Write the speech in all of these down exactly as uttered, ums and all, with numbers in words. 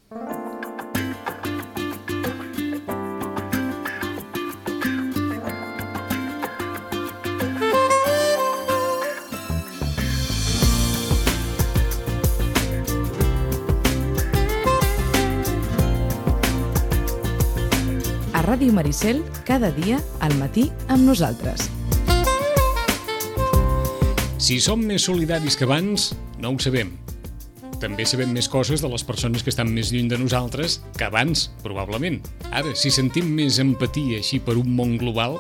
Ràdio Maricel, cada dia al matí amb nosaltres. Si som més solidaris que abans, no ho sabem. També sabem més coses de les persones que estan més lluny de nosaltres que abans, probablement. Ara, si sentim més empatia així per un món global,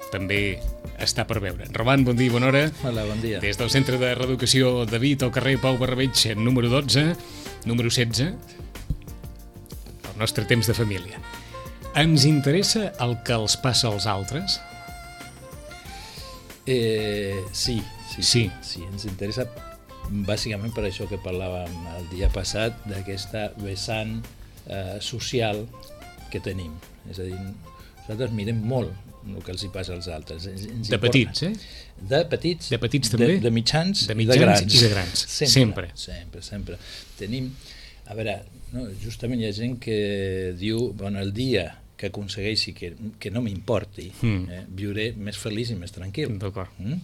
també està per veure. Roman, bon dia i bona hora. Hola, bon dia. Des del Centre de Reeducació David, al carrer Pau Barrabeig, número dotze, número setze, el nostre temps de família. Ens interessa el que els passa als altres? Eh, sí, sí, sí, sí, ens interessa bàsicament per això que parlàvem el dia passat, d'aquesta vessant eh, social que tenim. És a dir, nosaltres mirem molt el que els hi passa als altres. Ens, ens de petits, eh? De petits, de petits també? De, de mitjans, de mitjans i de grans. I de grans. Sempre. Sempre, sempre. sempre. Tenim, a veure, no, justament hi ha gent que diu, bueno, el dia que aconsegueixi que, que no m'importi, mm. eh, viuré més feliç i més tranquil. D'acord. Mm?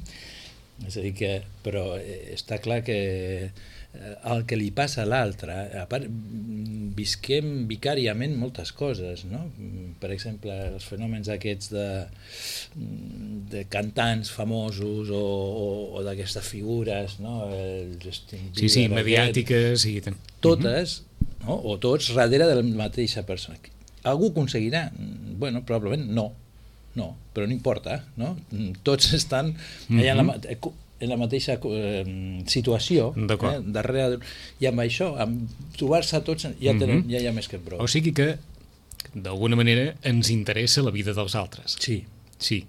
És a dir que, però eh, està clar que eh, el que li passa a l'altre, a part, visquem vicàriament moltes coses, no? Per exemple, els fenòmens aquests de, de cantants famosos o, o, o d'aquestes figures, no? El Justin Bieber, sí, sí, mediàtiques i... totes, mm-hmm. no? O tots darrere de la mateixa persona. Algú aconseguirà? Bueno, probablement no, no, però no importa, no? Tots estan allà en, la, en la mateixa eh, situació, eh, darrere, i amb això, amb trobar-se tots, ja, tenen, ja hi ha més que prou. O sigui que, d'alguna manera, ens interessa la vida dels altres. Sí. Sí.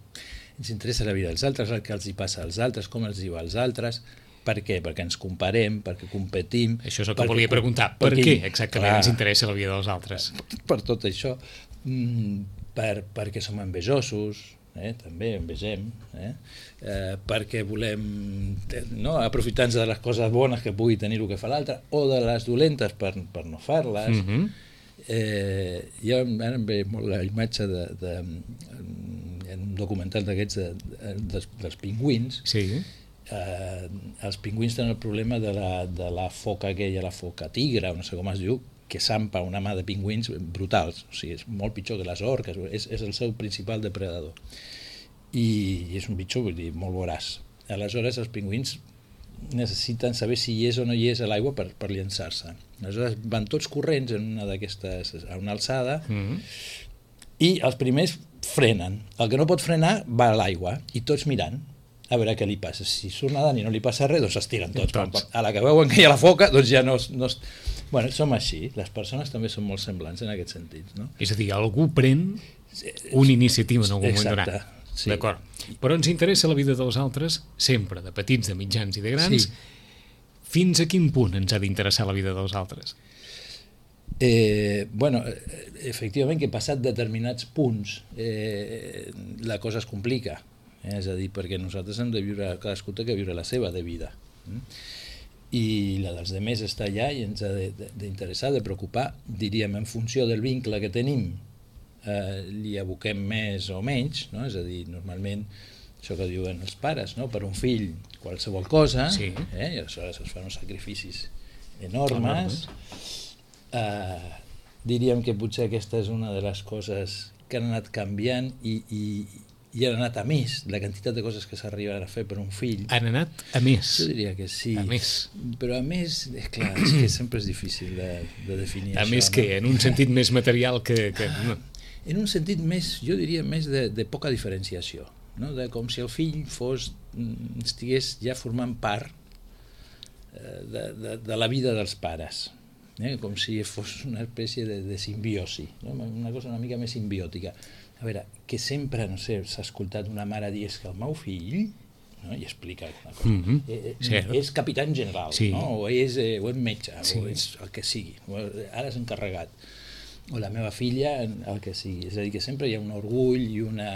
Ens interessa la vida dels altres, el que els hi passa als altres, com els diu als altres. Per què? Perquè ens comparem, perquè competim... Això és el que volia preguntar. Per perquè, què exactament clar, ens interessa la vida dels altres? Per tot això. Per, perquè som envejosos, eh? També envegem, eh? Eh, perquè volem, no, aprofitar-nos de les coses bones que pugui tenir el que fa l'altre, o de les dolentes per, per no fer-les. Mm-hmm. eh, jo ara em ve molt la imatge de, de, en un documental d'aquests de, de, dels, dels pingüins. Sí. Eh, els pingüins tenen el problema de la, de la foca aquella, la foca tigre, no sé com es diu, que s'ampa una mà de pingüins brutals, o sigui, és molt pitjor que les orques, és, és el seu principal depredador. I, i és un bitxo, vull dir, molt voraç. Aleshores, els pingüins necessiten saber si hi és o no hi és a l'aigua per, per llançar-se. Aleshores, van tots corrents en una d'aquestes, a una alçada, mm-hmm. i els primers frenen. El que no pot frenar va a l'aigua, i tots mirant, a veure què li passa. Si surt nedant i no li passa res, doncs es tiren tots. tots. A la que veuen que hi ha la foca, doncs ja no... no bueno, som així. Les persones també són molt semblants en aquest sentit, no? És a dir, algú pren una iniciativa en algun moment donat. Sí. D'acord. Però ens interessa la vida dels altres sempre, de petits, de mitjans i de grans. Sí. Fins a quin punt ens ha d'interessar la vida dels altres? Eh, bueno, efectivament que passat determinats punts eh, la cosa es complica. Eh? És a dir, perquè nosaltres hem de viure, cadascú té que viure la seva de vida. Mm? I la dels demés està allà i ens ha d'interessar, de, de preocupar, diríem, en funció del vincle que tenim, eh, li aboquem més o menys, no? És a dir, normalment, això que diuen els pares, no? Per un fill, qualsevol cosa, sí. eh? I aleshores es fan uns sacrificis enormes. Eh, diríem que potser aquesta és una de les coses que han anat canviant i, i i han anat a més, la quantitat de coses que s'arriben a fer per un fill. Han anat a més? Jo diria que sí. A més. Però a més, és clar, és que sempre és difícil de, de definir a això. A més no? que, en un sentit més material que... que no. En un sentit més, jo diria, més de, de poca diferenciació, no? De com si el fill fos, estigués ja formant part de, de, de la vida dels pares. Eh? Com si fos una espècie de, de simbiosi, no? Una cosa una mica més simbiòtica. A veure, que sempre, no sé, s'ha escoltat una mare dir que el meu fill, no? I explica una cosa, mm-hmm. eh, és capità en general, sí. No? O, és, eh, o és metge, sí. O és el que sigui, o ara és encarregat, o la meva filla, el que sigui. És a dir, que sempre hi ha un orgull i una,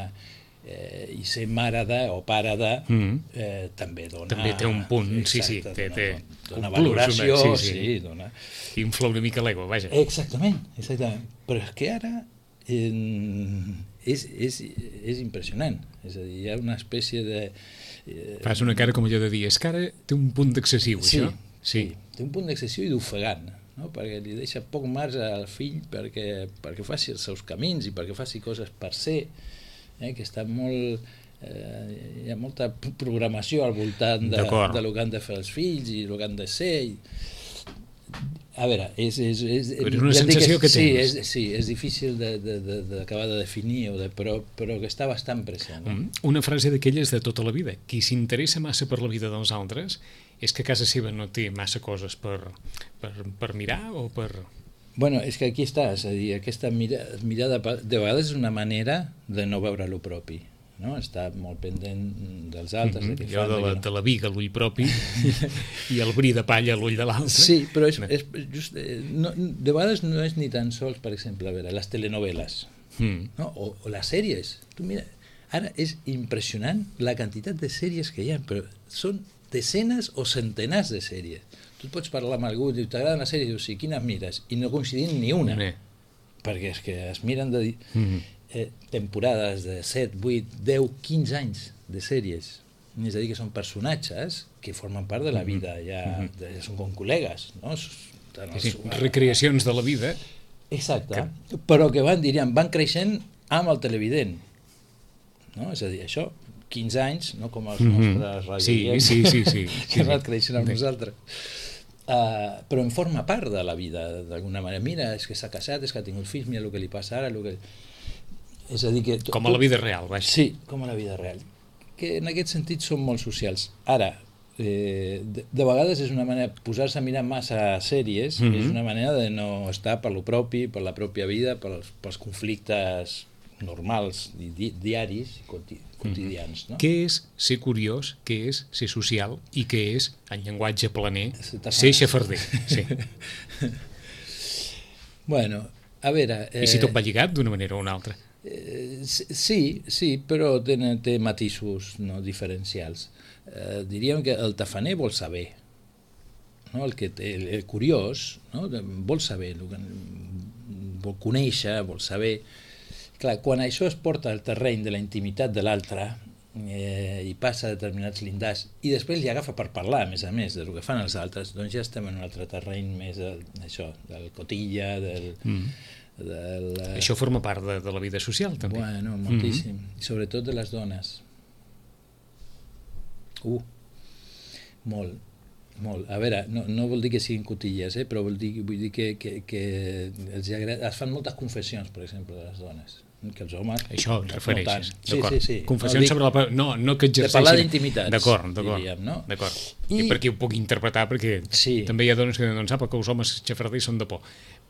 eh, i ser mare de o pare de mm. eh, també dona... També té un punt, exacte, sí, sí, té, dona, té dona un valoració, plus, una, sí, sí. sí, dona... Infla una mica l'ego, vaja. Exactament, exactament. Però és que ara eh, és, és, és impressionant, és a dir, hi ha una espècie de... Eh, Fas una cara com allò de dir, és que ara té un punt d'excessiu, sí, això? Sí, té un punt d'excessiu i d'ofegant, no? Perquè li deixa poc marge al fill perquè, perquè faci els seus camins i perquè faci coses per ser, eh, que està molt... Eh, hi ha molta programació al voltant de, de lo que han de fer els fills i el que han de ser. I... A veure, és... és, és però és una ja sensació que, que sí, tens. És, sí, és difícil d'acabar de, de, de definir, o de, però, però que està bastant present. Eh? Mm, una frase d'aquelles de tota la vida. Qui s'interessa massa per la vida dels altres és que a casa seva no té massa coses per, per, per mirar o per... Bueno, és que aquí està, és a dir, aquesta mira, mirada de vegades és una manera de no veure lo propi, no? Està molt pendent dels altres. Mm-hmm. De Jo de la, de la viga a l'ull propi i el bri de palla a l'ull de l'altre. Sí, però és, és just, no, de vegades no és ni tan sols, per exemple, a veure, les telenovel·les, mm. no? o, o les sèries. Tu mira, ara és impressionant la quantitat de sèries que hi ha, però són desenes o centenars de sèries. Tu et pots parlar amb algú i dius, t'agraden les sèries? Dius, sí, quines mires? I no coincidim ni una. Nee. Perquè és que es miren de mm-hmm. eh, temporades de set, vuit, deu, quinze anys de sèries. És a dir, que són personatges que formen part de la vida, ja, mm-hmm. de, ja són com col·legues, no? Sí, recreacions de la vida. Exacte, que... però que van, diríem, van creixent amb el televident. No? És a dir, això... quinze anys, no com els mm-hmm. nostres radioients, sí, sí, sí, sí, que van creixent amb sí. nosaltres. Uh, però en forma part de la vida, d'alguna manera. Mira, és que s'ha casat, és que ha tingut fills, mira el que li passa ara, el que... És a dir que... Com a la vida real, vaja. Sí, com a la vida real. Que en aquest sentit són molt socials. Ara, eh, de, de vegades és una manera, posar-se a mirar massa sèries, mm-hmm. és una manera de no estar per lo propi, per la pròpia vida, pels, pels conflictes normals, di, diaris, quotidians. No? Què és ser curiós, què és ser social i què és, en llenguatge planer, ser xafarder? Sí. Bueno, a veure... Eh, I si tot va lligat d'una manera o una altra? Eh, sí, sí, però té, té matisos no, diferencials. Eh, diríem que el tafaner vol saber, no? el, que té, el, el curiós no? vol saber, vol conèixer, vol saber... Clar, quan això es porta al terreny de la intimitat de l'altre eh, i passa a determinats llindars i després li agafa per parlar, a més a més, del que fan els altres, doncs ja estem en un altre terreny més de, això, del cotilla, del... Mm. del això forma part de, de la vida social, també. Bueno, moltíssim. Mm-hmm. I sobretot de les dones. Uh, molt. Molt. A veure, no, no vol dir que siguin cotilles, eh? Però vol dir, vull dir que, que, que els agrada... es fan moltes confessions, per exemple, de les dones, que els homes... Això et refereixes, no d'acord. Sí, sí, sí. Confessions no, sobre la... No, no que exerceixin... De parlar d'intimitats, d'acord, d'acord, diríem, no? D'acord. I... I per aquí ho puc interpretar, perquè sí. també hi ha dones que no sap que els homes xafarders són de por.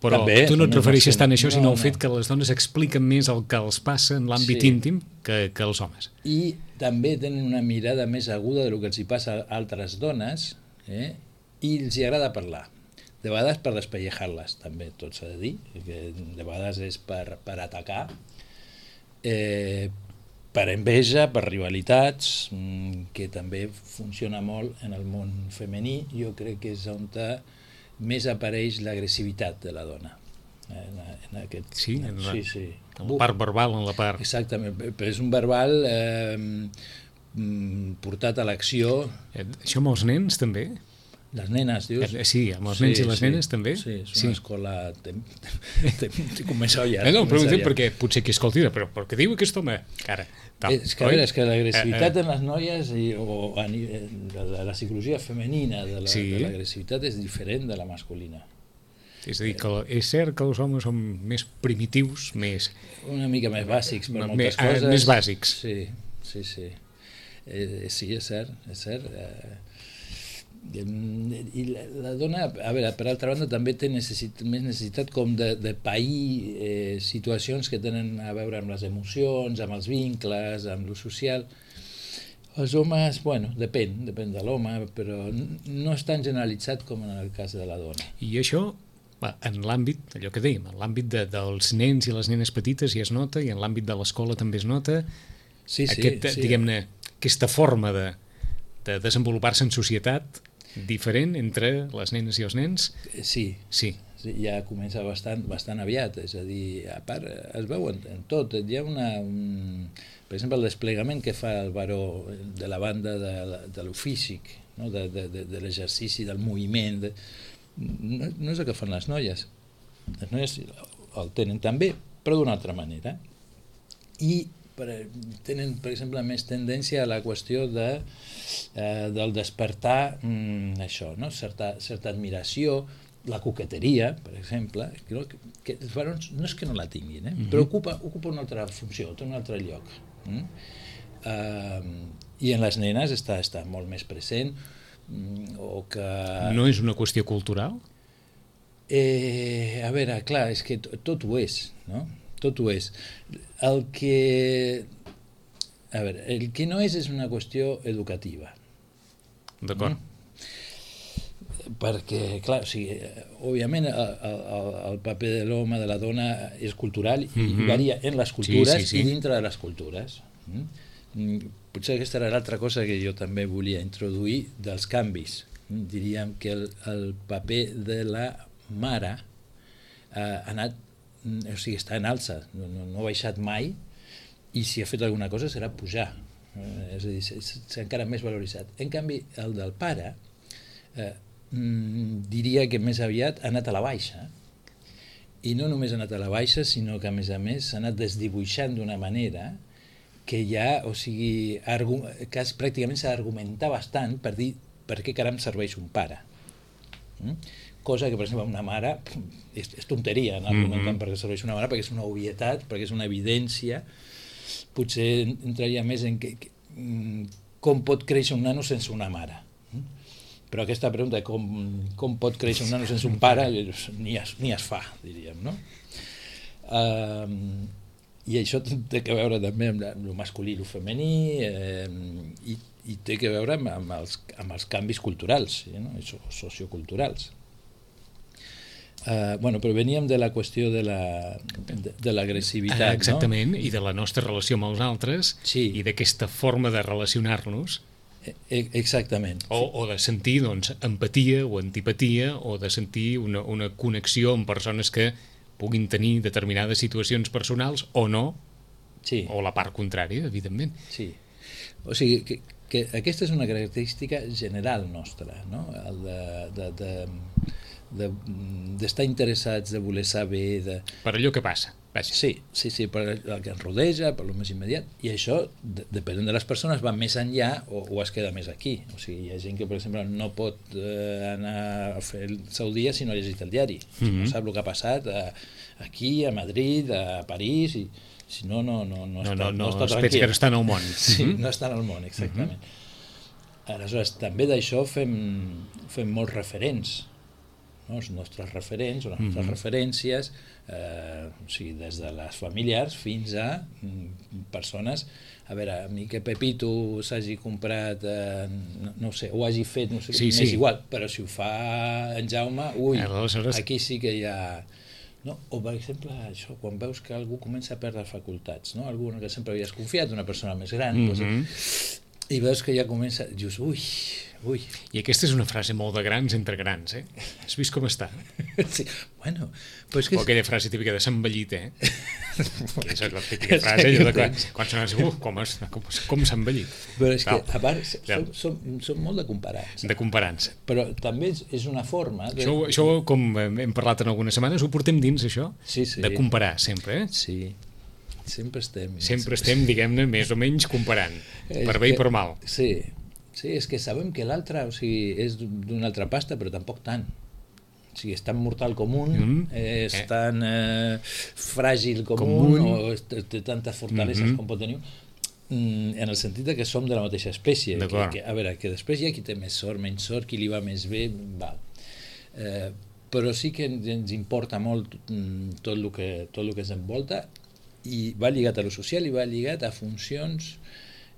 Però també, tu no et refereixes tant a això, sinó no, al fet no. que les dones expliquen més el que els passa en l'àmbit sí. íntim que, que els homes. I també tenen una mirada més aguda del que els hi passa a altres dones, eh? I els hi agrada parlar. De vegades per despellejar-les, també, tot s'ha de dir, que de vegades és per, per atacar, eh, per enveja, per rivalitats, que també funciona molt en el món femení. Jo crec que és on més apareix l'agressivitat de la dona. En, en aquest, sí, en la, sí, sí. en la part verbal, en la part... Exactament, però és un verbal eh, portat a l'acció. Això amb els nens, també? Les nenes, dius? Sí, amb els nens sí, i les sí, nenes també? Sí, és una sí. escola... Comença ja. No, no, però perquè potser que escolti, però perquè diu aquest home, cara... Tal, és que, a veure, és que l'agressivitat eh, eh. en les noies i, o a, la, la psicologia femenina de l'agressivitat la, sí. és diferent de la masculina. És a dir, que és cert que els homes són més primitius, més... Una mica més bàsics per moltes més, coses. Més bàsics. Sí, sí, sí. Eh, sí, és cert, és cert. Eh, i la, la dona, a veure, per altra banda també té necessit, més necessitat com de, de pair eh, situacions que tenen a veure amb les emocions, amb els vincles, amb lo social. Els homes, bueno, depèn, depèn de l'home, però no és tan generalitzat com en el cas de la dona. I això, en l'àmbit, allò que dèiem, en l'àmbit de, dels nens i les nenes petites ja es nota, i en l'àmbit de l'escola també es nota. Sí, sí, Aquest, sí. diguem-ne, aquesta forma de, de desenvolupar-se en societat diferent entre les nenes i els nens. Sí, Sí. sí, ja comença bastant, bastant aviat, és a dir, a part es veu en, en tot, hi ha una, un, per exemple el desplegament que fa el baró de la banda de, de lo físic, no? de, de, de, de l'exercici, del moviment, de, no, no és el que fan les noies, les noies el tenen també, però d'una altra manera, i per, tenen, per exemple, més tendència a la qüestió de, eh, del despertar mm, això, no? certa, certa admiració, la coqueteria, per exemple, que, que els barons no és que no la tinguin, eh? Mm-hmm. però ocupa, ocupa una altra funció, té un altre lloc. Mm? Uh, I en les nenes està, està molt més present, mm, o que... No és una qüestió cultural? Eh, a veure, clar, és que tot, tot ho és, no? Tot ho és. El que... A veure, el que no és és una qüestió educativa. D'acord. Mm? Perquè, clar, o sigui, òbviament el, el, el paper de l'home, de la dona és cultural i mm-hmm. varia en les cultures sí, sí, sí. i dintre de les cultures. Mm? Potser aquesta era l'altra cosa que jo també volia introduir dels canvis. Mm? Diríem que el, el paper de la mare eh, ha anat, o sigui, està en alça, no, no, no ha baixat mai, i si ha fet alguna cosa serà pujar. Eh, és a dir, s'ha encara més valoritzat. En canvi, el del pare eh, diria que més aviat ha anat a la baixa, i no només ha anat a la baixa, sinó que a més a més s'ha anat desdibuixant d'una manera que ja, o sigui, que pràcticament s'ha d'argumentar bastant per dir per què caram serveix un pare. Mm? Cosa que, per exemple, una mare és, és tonteria anar argumentant mm-hmm. per què serveix una mare, perquè és una obvietat, perquè és una evidència. Potser entraria més en que, que, com pot créixer un nano sense una mare. Però aquesta pregunta, com, com pot créixer un nano sense un pare, ni es, ni es fa, diríem, no? Uh, I això té que veure també amb el masculí i el femení, eh, i, i té que veure amb, amb, els, amb els canvis culturals, sí, no? Socioculturals. Uh, bueno, però veníem de la qüestió de l'agressivitat, la, de, de exactament, no? I de la nostra relació amb els altres, sí. I d'aquesta forma de relacionar-nos. Exactament. O, o de sentir doncs, empatia o antipatia, o de sentir una, una connexió amb persones que puguin tenir determinades situacions personals o no, sí. O la part contrària, evidentment. Sí. O sigui, que, que aquesta és una característica general nostra, no? El de, de, de, de, d'estar interessats, de voler saber... De... Per allò que passa. Vaja. Sí, sí, sí, per el que ens rodeja, per lo més immediat, i això, de, depenent de les persones, va més enllà o, o es queda més aquí. O sigui, hi ha gent que, per exemple, no pot eh, anar a fer el seu dia si no ha llegit el diari, mm-hmm. si no sap el que ha passat a, aquí, a Madrid, a París, i si no, no, no, no, està, no, no, no està tranquil. No, tranquil. que no està en el món. Sí, no està en el món, exactament. Mm-hmm. Aleshores, també d'això fem, fem molts referents, no? Els nostres referents o les nostres mm-hmm. referències, eh, o sigui, des de les familiars fins a mm, persones. A veure, a mi que Pepito s'hagi comprat, eh, no, no sé, o hagi fet, no sé, sí, m'és sí. igual, però si ho fa en Jaume, ui, aleshores... aquí sí que hi ha... No? O, per exemple, això, quan veus que algú comença a perdre facultats, no? Algú que sempre havies confiat, una persona més gran, mm-hmm. doncs, i veus que ja comença, dius, ui, ui. I aquesta és una frase molt de grans entre grans, eh? Has vist com està? Sí, bueno... Però és que... O aquella frase típica de s'envellit, eh? Que és la típica frase, allò de quan, quan sona uh, com, com, com s'ha envellit. Però és que, a part, som, som, som molt de comparants. De comparants. Però també és una forma... De... Això, això, com hem parlat en algunes setmanes, ho portem dins, això? Sí, sí. De comparar, sempre, eh? Sí. Sempre estem... Sempre estem, diguem-ne, més o menys comparant, per bé i per mal. Sí, sí, és que sabem que l'altre, o sigui, és d'una altra pasta, però tampoc tant. O sigui, és tan mortal com un, mm. és eh. tan eh, fràgil com, com un, un, o té tantes fortaleses mm-hmm. com pot tenir un, en el sentit que som de la mateixa espècie. Que, que, a veure, que després hi ha qui té més sort, menys sort, qui li va més bé, val. Eh, però sí que ens importa molt tot el que, tot el que ens envolta, i va lligat a lo social i va lligat a funcions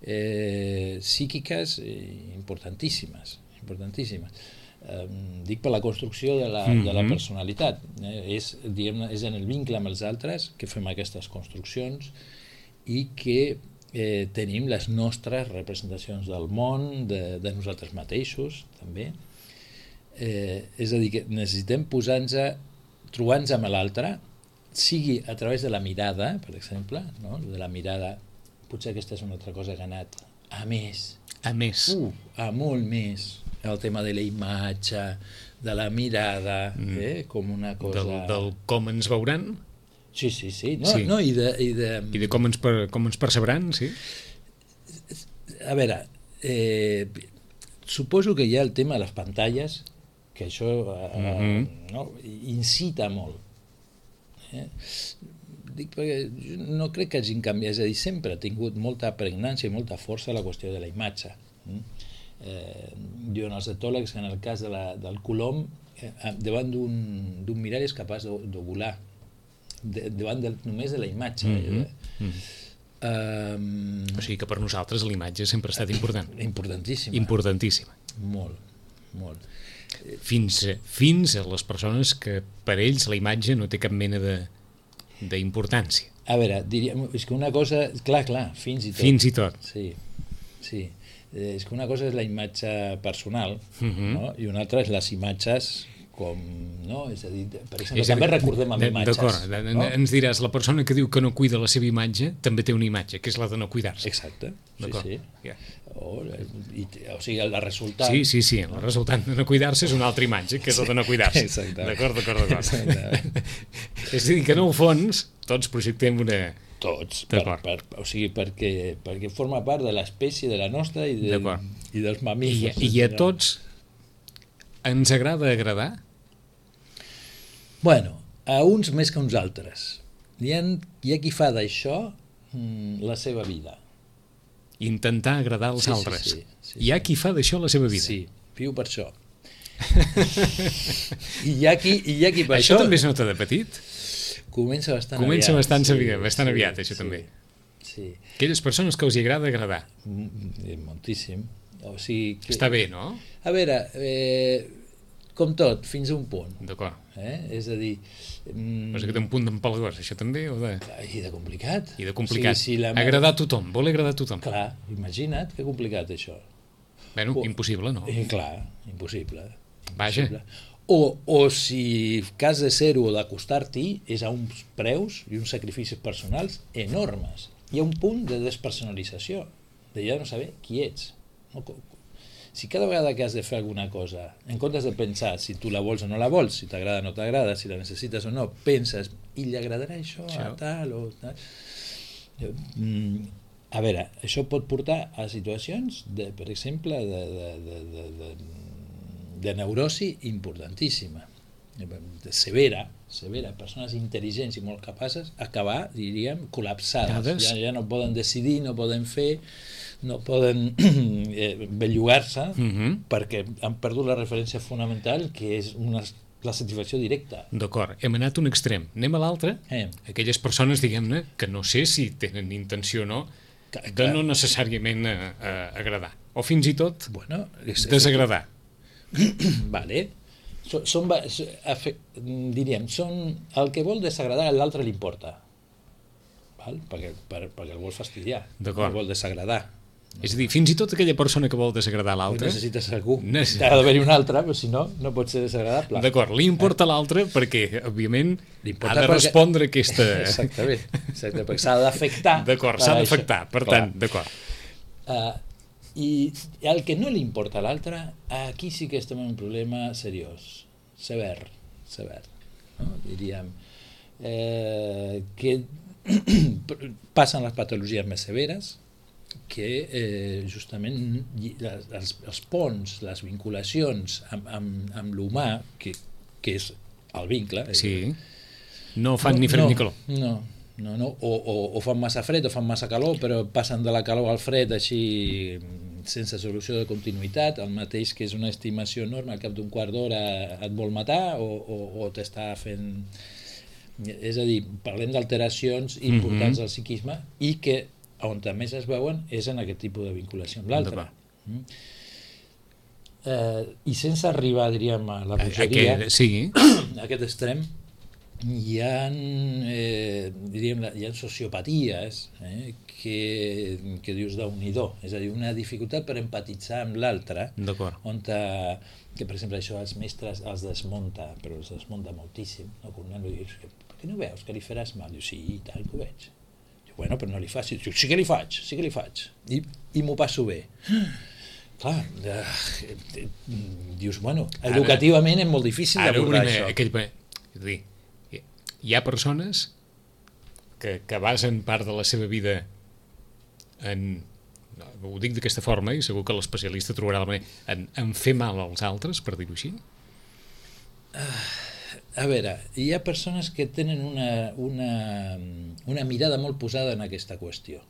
eh, psíquiques eh, importantíssimes, importantíssimes. Eh, dic per la construcció de la, mm-hmm. de la personalitat. Eh, és, diguem, és en el vincle amb els altres que fem aquestes construccions i que eh, tenim les nostres representacions del món, de, de nosaltres mateixos, també. Eh, és a dir, que necessitem posar-nos, trobar-nos amb l'altre, sigui a través de la mirada, per exemple, no? De la mirada, potser aquesta és una altra cosa que ha anat a més. A més. Uh, a molt més. El tema de la imatge, de la mirada, mm. eh? Com una cosa... Del, del com ens veuran? Sí, sí, sí. No, sí. No, i, de, i, de... I de com ens, per, com ens percebran, sí. A veure, eh, suposo que hi ha el tema de les pantalles, que això eh, mm-hmm. no, incita molt. Eh? Dic perquè no crec que hagin canviat, és a dir, sempre ha tingut molta pregnància i molta força la qüestió de la imatge. Eh, diuen els etòlegs que en el cas de la, del colom, eh, davant d'un mirall és capaç de, de volar, de, davant de, només de la imatge. Mm-hmm. Eh? Mm-hmm. Um, o sigui que per nosaltres la imatge sempre ha estat important. Importantíssima. Importantíssima. Molt, molt. Fins, fins a les persones que per ells la imatge no té cap mena de d'importància. A veure, diríem, és que una cosa... Clar, clar, fins i tot. Fins i tot. Sí, sí. Eh, és que una cosa és la imatge personal, uh-huh. no? I una altra és les imatges com... No? És a dir, per exemple, també recordem amb imatges. D'acord, no? Ens diràs, la persona que diu que no cuida la seva imatge també té una imatge, que és la de no cuidar-se. Exacte, sí, d'acord. Sí. Yeah. O, i, o sigui, el resultat... Sí, sí, sí, el resultat de no cuidar-se és una altra imatge, que és la de no cuidar-se. Exacte. D'acord, d'acord, d'acord. És a dir, que en el fons tots projectem una... Tots, per, per, o sigui, perquè, perquè forma part de l'espècie de la nostra i, de, i dels mamífers. I, I a tots ens agrada agradar? Bueno, a uns més que a uns altres. Hi ha, hi ha qui fa d'això mm, la seva vida. Intentar agradar als sí, altres. Sí, sí, sí, hi ha sí. qui fa d'això la seva vida. Sí, viu per això. I hi ha qui, i hi ha qui per això... això... també es nota de petit? Comença bastant Comença aviat. bastant, sí, aviat, bastant sí, aviat, això sí, també. Sí. Aquelles persones que els hi agrada agradar. Moltíssim. O sigui, que... Està bé, no? A veure, eh, com tot, fins a un punt. D'acord. Eh? És a dir... Mm... Però que té un punt d'empalagós, això també? O de... I de complicat. I de complicat. O sigui, si la... Agradar a tothom, vol agradar a tothom. Clar, imagina't que complicat això. Bueno, o... impossible, no? Eh, clar, impossible. Vaja. Impossible. O, o si cas de ser-ho o d'acostar-t'hi és a uns preus i uns sacrificis personals enormes. Hi ha un punt de despersonalització, de ja no saber qui ets. No? Si cada vegada que has de fer alguna cosa, en comptes de pensar si tu la vols o no la vols, si t'agrada o no t'agrada, si la necessites o no, penses, i li agradarà això a tal o tal... A veure, això pot portar a situacions, de, per exemple, de, de, de, de, de, de neurosi importantíssima, de severa, severa, persones intel·ligents i molt capaces, acabar, diríem, col·lapsades. Ja, ja no poden decidir, no poden fer, no poden eh, bellugar-se, uh-huh. perquè han perdut la referència fonamental, que és una, la satisfacció directa. D'acord, hem anat un extrem. Anem a l'altre. Eh. Aquelles persones, diguem-ne, que no sé si tenen intenció o no, de no necessàriament eh, eh, agradar. O fins i tot bueno, és, desagradar. Vale. Són, són, diríem, són el que vol desagradar a l'altre li importa. Val? Perquè, per, perquè el vol fastidiar. D'acord. El vol desagradar. No. És a dir, fins i tot aquella persona que vol desagradar l'altre... Necessites algú. Necess... Ha d'haver-hi un altre, però si no, no pot ser desagradable. D'acord, li importa eh? l'altre perquè, òbviament, ha de respondre perquè... aquesta... Exactament, exactament, perquè s'ha d'afectar. D'acord, s'ha d'afectar, per Clar. tant, d'acord. Uh, I el que no li importa a l'altre, aquí sí que estem en un problema seriós, sever, sever, no? Diríem, eh, que passen les patologies més severes, que eh, justament les, els, els ponts, les vinculacions amb, amb, amb l'humà, que, que és el vincle... Sí, no fan no, ni fred no, ni calor. No, no, no. O, o, o fan massa fred o fan massa calor, però passen de la calor al fred així sense solució de continuïtat, el mateix que és una estimació enorme, al cap d'un quart d'hora et vol matar o, o, o t'està fent... És a dir, parlem d'alteracions importants mm-hmm. del psiquisme i que on més es veuen és en aquest tipus de vinculació amb l'altre. Mm. Eh, I sense arribar, diríem, a la bogeria, sí. a aquest extrem, hi ha, eh, diríem, hi ha sociopaties eh, que, que dius Déu-n'hi-do, és a dir, una dificultat per empatitzar amb l'altre, on te, que per exemple això els mestres els desmunta, però els desmunta moltíssim, no? Com un nen li dius, per què no veus que li faràs mal? Diu, sí, i tant que ho veig. Diu, bueno, però no li facis. Diu, sí que li faig, sí que li faig, i, i m'ho passo bé. Clar, eh, dius, bueno, educativament és molt difícil d'abordar això. Aquell, és a dir, hi ha persones que, que basen part de la seva vida en, no, ho dic d'aquesta forma i segur que l'especialista trobarà la manera, en, en fer mal als altres, per dir-ho així? Uh, a veure, hi ha persones que tenen una, una, una mirada molt posada en aquesta qüestió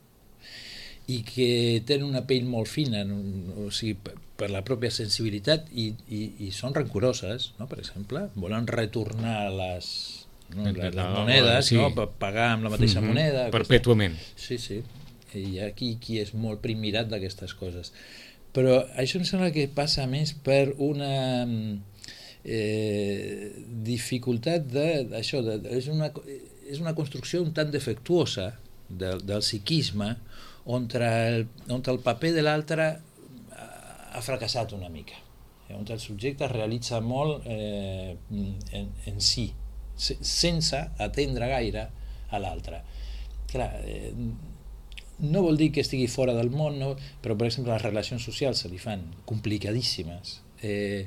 i que tenen una pell molt fina, o sigui, per, per la pròpia sensibilitat i, i, i són rancoroses, no? Per exemple, volen retornar les, no, les, les monedes, sí. No? Per pagar amb la mateixa mm-hmm. moneda. Perpètuament. Aquesta... Sí, sí. Hi ha qui, qui és molt primirat d'aquestes coses. Però això em sembla que passa més per una eh, dificultat de, d'això, de, és, una, és una construcció un tant defectuosa del, del psiquisme on el, on el paper de l'altre ha fracassat una mica, on el subjecte es realitza molt eh, en, en si, sense atendre gaire a l'altre. Clar, eh, no vol dir que estigui fora del món, no? Però per exemple les relacions socials se li fan complicadíssimes. Eh,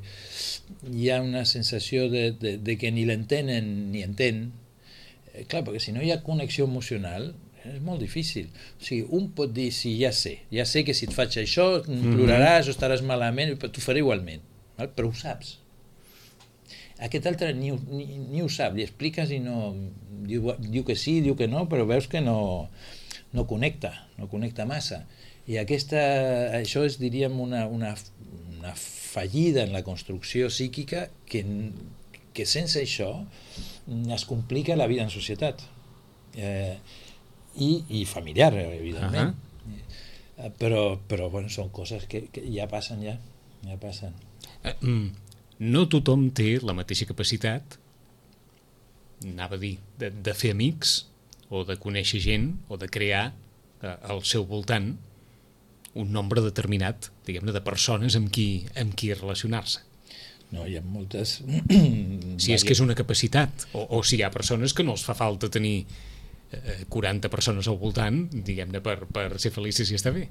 hi ha una sensació de, de, de que ni l'entenen ni entén. Eh, clar, perquè si no hi ha connexió emocional és molt difícil. O sigui, un pot dir, sí, ja sé, ja sé que si et faig això ploraràs o estaràs malament, però t'ho faré igualment, val? Però ho saps. Aquest altre ni, ni, ni ho sap, li expliques i no... Diu, diu que sí, diu que no, però veus que no... no connecta, no connecta massa. I aquesta, això és, diríem, una, una, una fallida en la construcció psíquica que, que sense això es complica la vida en societat. Eh, i, i familiar, evidentment. Uh-huh. Però, però bueno, són coses que, que ja passen, ja. ja passen. Uh, mm, no tothom té la mateixa capacitat, anava a dir, de, de fer amics, o de conèixer gent, o de crear eh, al seu voltant un nombre determinat, diguem-ne, de persones amb qui, amb qui relacionar-se. No, hi ha moltes... Si és que és una capacitat, o, o si hi ha persones que no els fa falta tenir eh, quaranta persones al voltant, diguem-ne, per, per ser feliços i estar bé.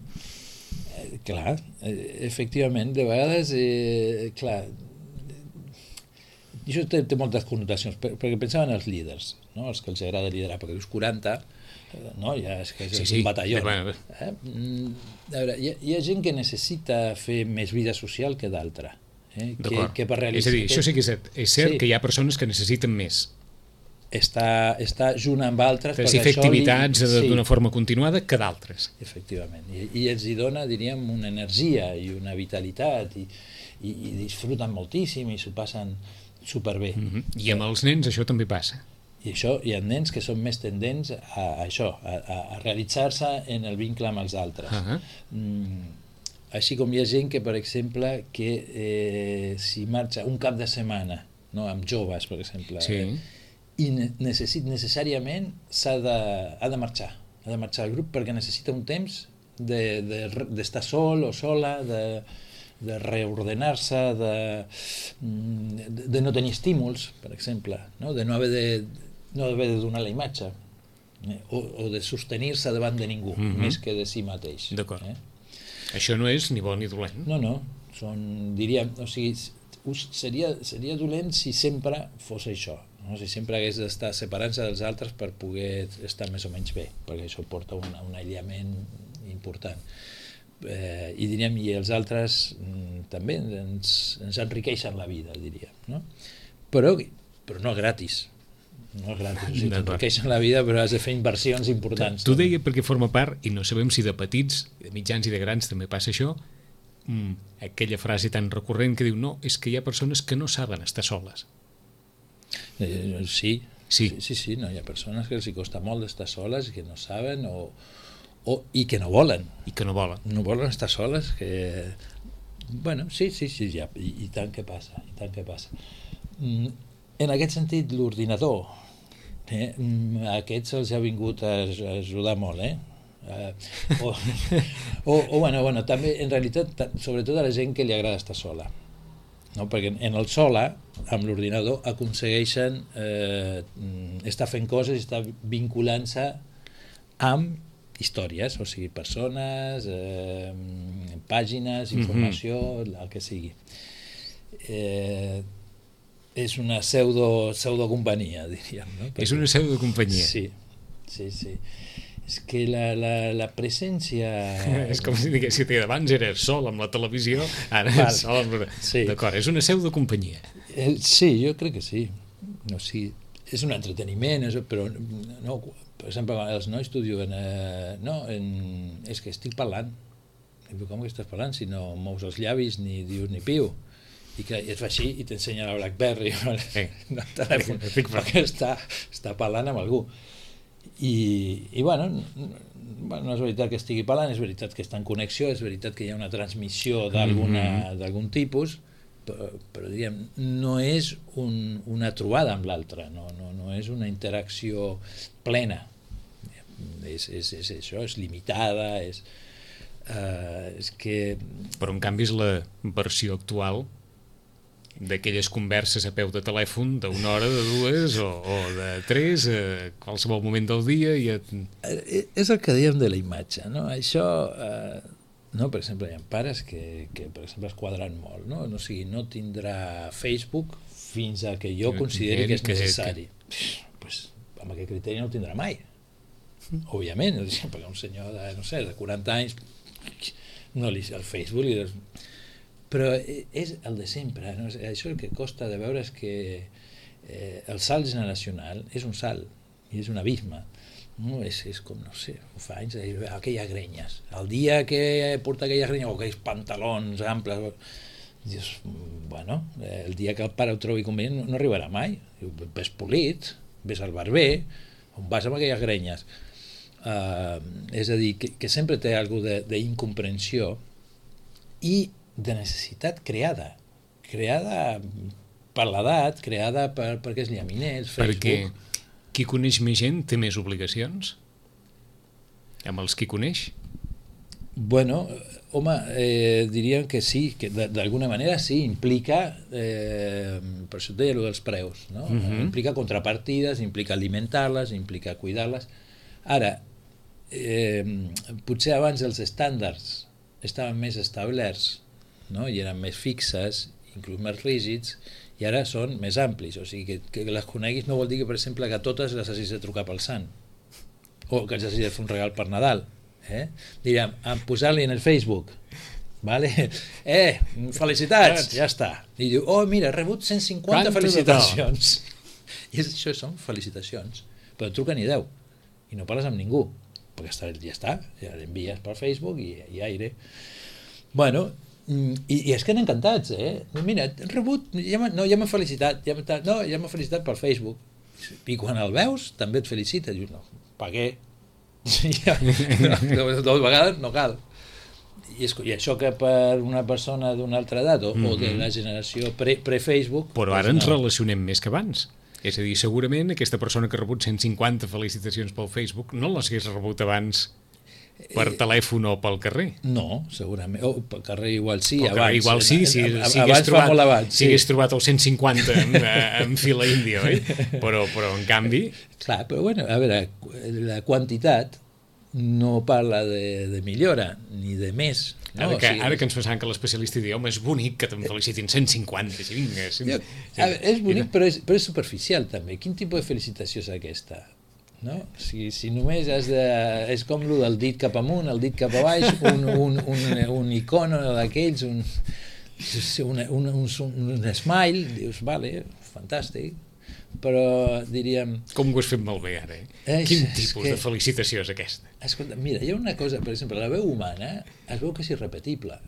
Eh, clar, eh, efectivament, de vegades, eh, clar, això té, té moltes connotacions, perquè pensaven els líders, no? Els que els agrada liderar, perquè dius quaranta, no? Ja és que és sí, sí. un batalló. Eh? A veure, hi, ha, hi ha gent que necessita fer més vida social que d'altra. Eh? Que, que per realitzar... És a dir, això sí que és, és cert sí. que hi ha persones que necessiten més. Està, està junt amb altres... Per si fer activitats li... d'una sí. forma continuada que d'altres. Efectivament. I, I els hi dona, diríem, una energia i una vitalitat i, i, i disfruten moltíssim i s'ho passen superbé. Mm-hmm. I amb els nens això també passa. I això hi ha nens que són més tendents a, a això, a, a realitzar-se en el vincle amb els altres. Uh-huh. mm, així com hi ha gent que, per exemple, que eh, si marxa un cap de setmana, no, amb joves, per exemple, sí. eh, i necessit, necessàriament s'ha de, ha de marxar, ha de marxar al grup perquè necessita un temps de, de, d'estar sol o sola, de... de reordenar-se, de, de, de no tenir estímuls, per exemple, no? De no haver de, no haver de donar la imatge, eh? o, o de sostenir-se davant de ningú, mm-hmm. més que de si mateix. D'acord. Eh? Això no és ni bo ni dolent. No, no, són, diríem, o sigui, seria, seria dolent si sempre fos això, no? Si sempre hagués d'estar separant-se dels altres per poder estar més o menys bé, perquè això porta un, un aïllament important. Eh, i diríem, i els altres mm, també ens, ens enriqueixen la vida, diríem, no? Però, però no gratis, no és gratis, o sigui, t'enriqueixen la vida però has de fer inversions importants. Tu deia perquè forma part, i no sabem si de petits, de mitjans i de grans també passa això, mm, aquella frase tan recurrent que diu, no, és que hi ha persones que no saben estar soles. Eh, sí, sí, sí, sí, sí, no, hi ha persones que els hi costa molt d'estar soles i que no saben o O, i que no volen. I que no volen. No volen estar soles, que... Bueno, sí, sí, sí, ja, i, i tant que passa, i tant que passa. Mm, en aquest sentit, l'ordinador Eh? A aquests els ha vingut a, a ajudar molt, eh? Uh, o, o, o bueno, bueno, també en realitat sobretot a la gent que li agrada estar sola, no? Perquè en el sola amb l'ordinador aconsegueixen eh, estar fent coses i estar vinculant-se amb històries, o sigui, persones, eh, pàgines, informació, mm-hmm. el que sigui. Eh, és una pseudo, pseudo companyia, diríem, no? Perquè, és una pseudo companyia. Sí, sí, sí. És que la, la, la presència... És com si digués que abans eres sol amb la televisió, ara és sol amb... Sí. D'acord, és una pseudo companyia. Eh, sí, jo crec que sí. No, sí. És un entreteniment, és, però no, per exemple, els nois t'ho diuen, eh, no, en, és que estic parlant. I diu, com que estàs parlant si no mous els llavis ni dius ni piu? I que et fa així i t'ensenya la BlackBerry no, sí. no, el telèfon, perquè està, està parlant amb algú. I, i bueno, no és veritat que estigui parlant, és veritat que està en connexió, és veritat que hi ha una transmissió d'alguna, mm-hmm. d'algun tipus, però, però diríem, no és un, una trobada amb l'altre, no, no, no és una interacció plena. És, és, és això, és limitada, és, uh, és que... Però en canvi és la versió actual d'aquelles converses a peu de telèfon d'una hora, de dues o, o de tres, a qualsevol moment del dia. I et... És el que dèiem de la imatge, no? Això, eh, no? Per exemple, hi ha pares que, que per exemple, es quadren molt, no? No, o sigui, no tindrà Facebook fins a que jo consideri que és necessari. Que... Pues, amb aquest criteri no el tindrà mai. Òbviament, perquè un senyor de, no sé, de quaranta anys, no li, el Facebook li... Però és el de sempre, no? Això el que costa de veure és que eh, el salt generacional és un salt i és un abisme, no? És, és com, no sé, fa anys, aquelles grenyes, el dia que porta aquelles grenyes o aquells pantalons amples, dius, bueno, el dia que el pare ho trobi convenient no, no arribarà mai, ves polit, ves al barber, on vas amb aquelles grenyes, uh, és a dir, que, que sempre té alguna d'incomprensió i de necessitat creada, creada per l'edat, creada per, perquè és llaminers, Facebook... Perquè qui coneix més gent té més obligacions? Amb els qui coneix? Bueno, home, eh, diríem que sí, que d'alguna manera sí, implica, eh, per això et deia allò dels preus, no? Uh-huh. Implica contrapartides, implica alimentar-les, implica cuidar-les. Ara, eh, potser abans els estàndards estaven més establerts, no? I eren més fixes, inclús més rígids, i ara són més amplis, o sigui, que, que les coneguis no vol dir que, per exemple, que totes les hagis de trucar pel sant, o que els hagis de fer un regal per Nadal, eh? Diríem, posar-li en el Facebook, vale? Eh, felicitats, ja està. I diu, oh, mira, he rebut cent cinquanta Quanta felicitacions. I això són felicitacions, però truca ni deu, i no parles amb ningú, perquè està, ja està, ja l'envies per Facebook i, i aire. Bueno, i, i és que han encantats, eh? Mira, he rebut, ja no, ja m'ha felicitat, ja no, ja m'ha felicitat per Facebook. I quan el veus, també et felicita. Dius, no, per què? Ja, no, dues vegades no cal. I, és, I això que per una persona d'una altra edat o, mm-hmm. o de la generació pre, pre-Facebook... Però ara ens no. relacionem més que abans. És a dir, segurament aquesta persona que ha rebut cent cinquanta felicitacions pel Facebook no les hagués rebut abans per telèfon o pel carrer. No, segurament. O pel carrer igual sí, pel abans. Carrer igual sí, si, si abans trobat, fa molt abans. Si sí. hagués trobat el cent cinquanta en, en fila índia, oi? Però, però en canvi... Clar, però bueno, a veure, la quantitat no parla de, de millora, ni de més. No? Ara, que, o sigui, ara que ens pensàvem que l'especialista diu, home, és bonic que te'n felicitin cent cinquanta, sí, vinga. Sí, jo, a veure, és bonic, però és, però és superficial també. Quin tipus de felicitació és aquesta? No? Si, si només has de... És com el del dit cap amunt, el dit cap a baix, un, un, un, un icono d'aquells, un, un, un, un, un smile, dius, vale, fantàstic, però diríem... Com ho has fet molt bé ara, eh? És, Quin tipus que, de felicitació és aquesta? Escolta, mira, hi ha una cosa, per exemple, la veu humana es veu que és irrepetible.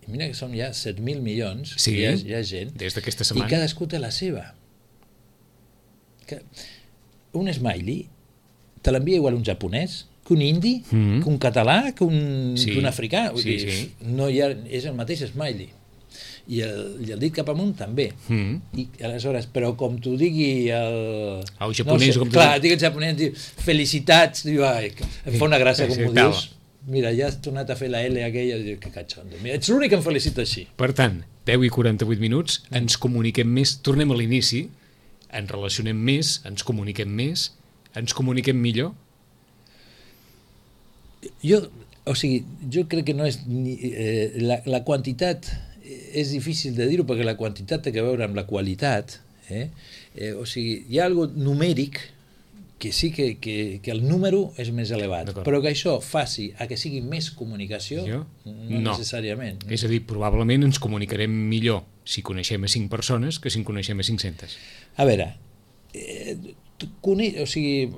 I mira que som ja set mil milions, sí, hi ha, hi ha gent, des d'aquesta setmana. I cadascú té la seva. Que un smiley te l'envia igual un japonès, que un indi, mm-hmm. que un català, que un, sí, que un africà. Vull sí, dir, sí. No hi ha, és el mateix smiley. i el, i el dit cap amunt també. Mm. I aleshores, però com t'ho digui el... El japonès, no sé, com t'ho clar, digui. dic el japonès, diu, felicitats, diu, ai, em fa una gràcia com Sí, m'ho tal. dius. Mira, ja has tornat a fer la L aquella, diu, que catxondo. Mira, ets l'únic que em felicita així. Per tant, deu i quaranta-vuit minuts, ens comuniquem més, tornem a l'inici, ens relacionem més, ens comuniquem més, ens comuniquem millor. Jo, o sigui, jo crec que no és ni, eh, la, la quantitat és difícil de dir-ho perquè la quantitat té a veure amb la qualitat, eh? Eh, o sigui, hi ha algo numèric que sí que, que, que el número és més elevat, però que això faci a que sigui més comunicació, jo? no, no necessàriament. És a dir, probablement ens comunicarem millor si coneixem a cinc persones que si en coneixem a cinc-centes. A veure, eh, cone... o sigui,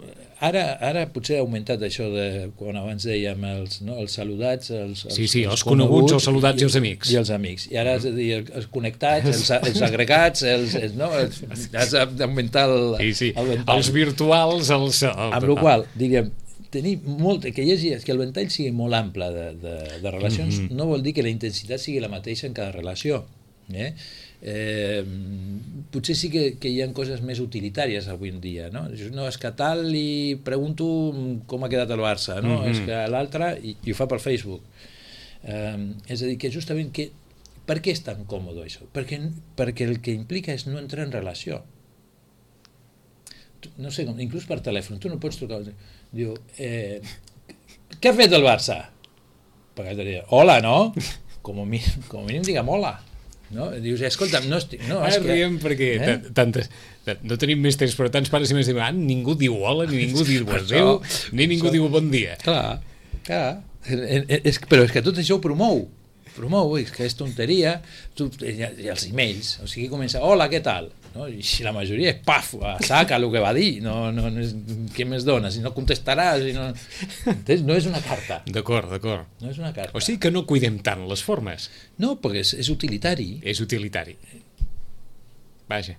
ara, ara potser ha augmentat això de quan abans dèiem els, no, els saludats, els, els, sí, sí, els, els coneguts, els saludats i, i els amics. I els amics. I ara, és a dir, els connectats, els, els agregats, els, els, no, els, has d'augmentar el, sí, sí. el ventall. Els virtuals, els... El, amb la qual cosa, diríem, tenir molt, que hi hagi, que el ventall sigui molt ample de, de, de relacions, mm-hmm. no vol dir que la intensitat sigui la mateixa en cada relació. Eh? Eh, potser sí que, que hi ha coses més utilitàries avui en dia, no? No, és que tal li pregunto com ha quedat el Barça, no? Mm-hmm. És que l'altre, i, i ho fa per Facebook. Eh, és a dir, que justament que, per què és tan còmode això? Perquè, perquè el que implica és no entrar en relació. No sé, inclús per telèfon, tu no pots trucar, diu, eh, què ha fet el Barça? Perquè et diria, hola, no? Com a mínim, com a mínim digue'm hola. No? Dius, escolta'm, no estic... No, Ara riem perquè eh? tantes, no tenim més temps, però tants pares i més diuen, ah, ningú diu hola, ni ningú diu adéu, ni ningú això... diu bon dia. Clar, clar. És, però és que tot això ho promou. Promou, és que és tonteria. Tu, i els emails, o sigui, comença, hola, què tal? No? I si la majoria és paf, saca el que va dir, no, no, no és, què més dones? Si no contestaràs, si no... no és una carta. D'acord, d'acord. No és una carta. O sigui que no cuidem tant les formes. No, perquè és, és utilitari. És utilitari. Vaja.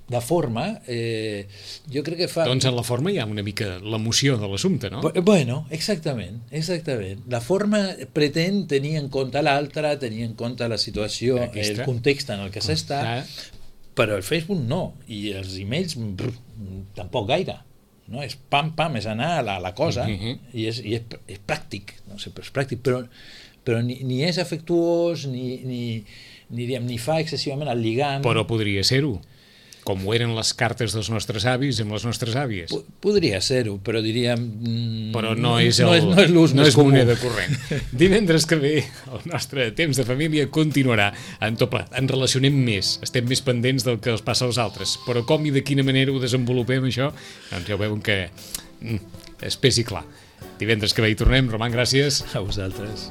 La forma, eh, jo crec que fa... Doncs en la forma hi ha una mica l'emoció de l'assumpte, no? Bueno, exactament, exactament. La forma pretén tenir en compte l'altre, tenir en compte la situació, Aquesta. el context en el que s'està, ah. però el Facebook no, i els emails brr, tampoc gaire. No? És pam, pam, és anar a la, la cosa, uh-huh. i, és, i és, és pràctic, no sé, però és pràctic, però, però ni, ni és afectuós, ni, ni, ni, diguem, ni fa excessivament el lligam. Però podria ser-ho. Com ho eren les cartes dels nostres avis amb les nostres àvies. P- podria ser-ho, però diríem... Mm, però no és, el, no és, no és l'ús no més és moneda corrent. Divendres que ve el nostre temps de família continuarà en tot plat. Ens relacionem més, estem més pendents del que els passa als altres, però com i de quina manera ho desenvolupem això, doncs ja ho veuen que mm, és pes i clar. Divendres que ve hi tornem. Roman, gràcies. A vosaltres.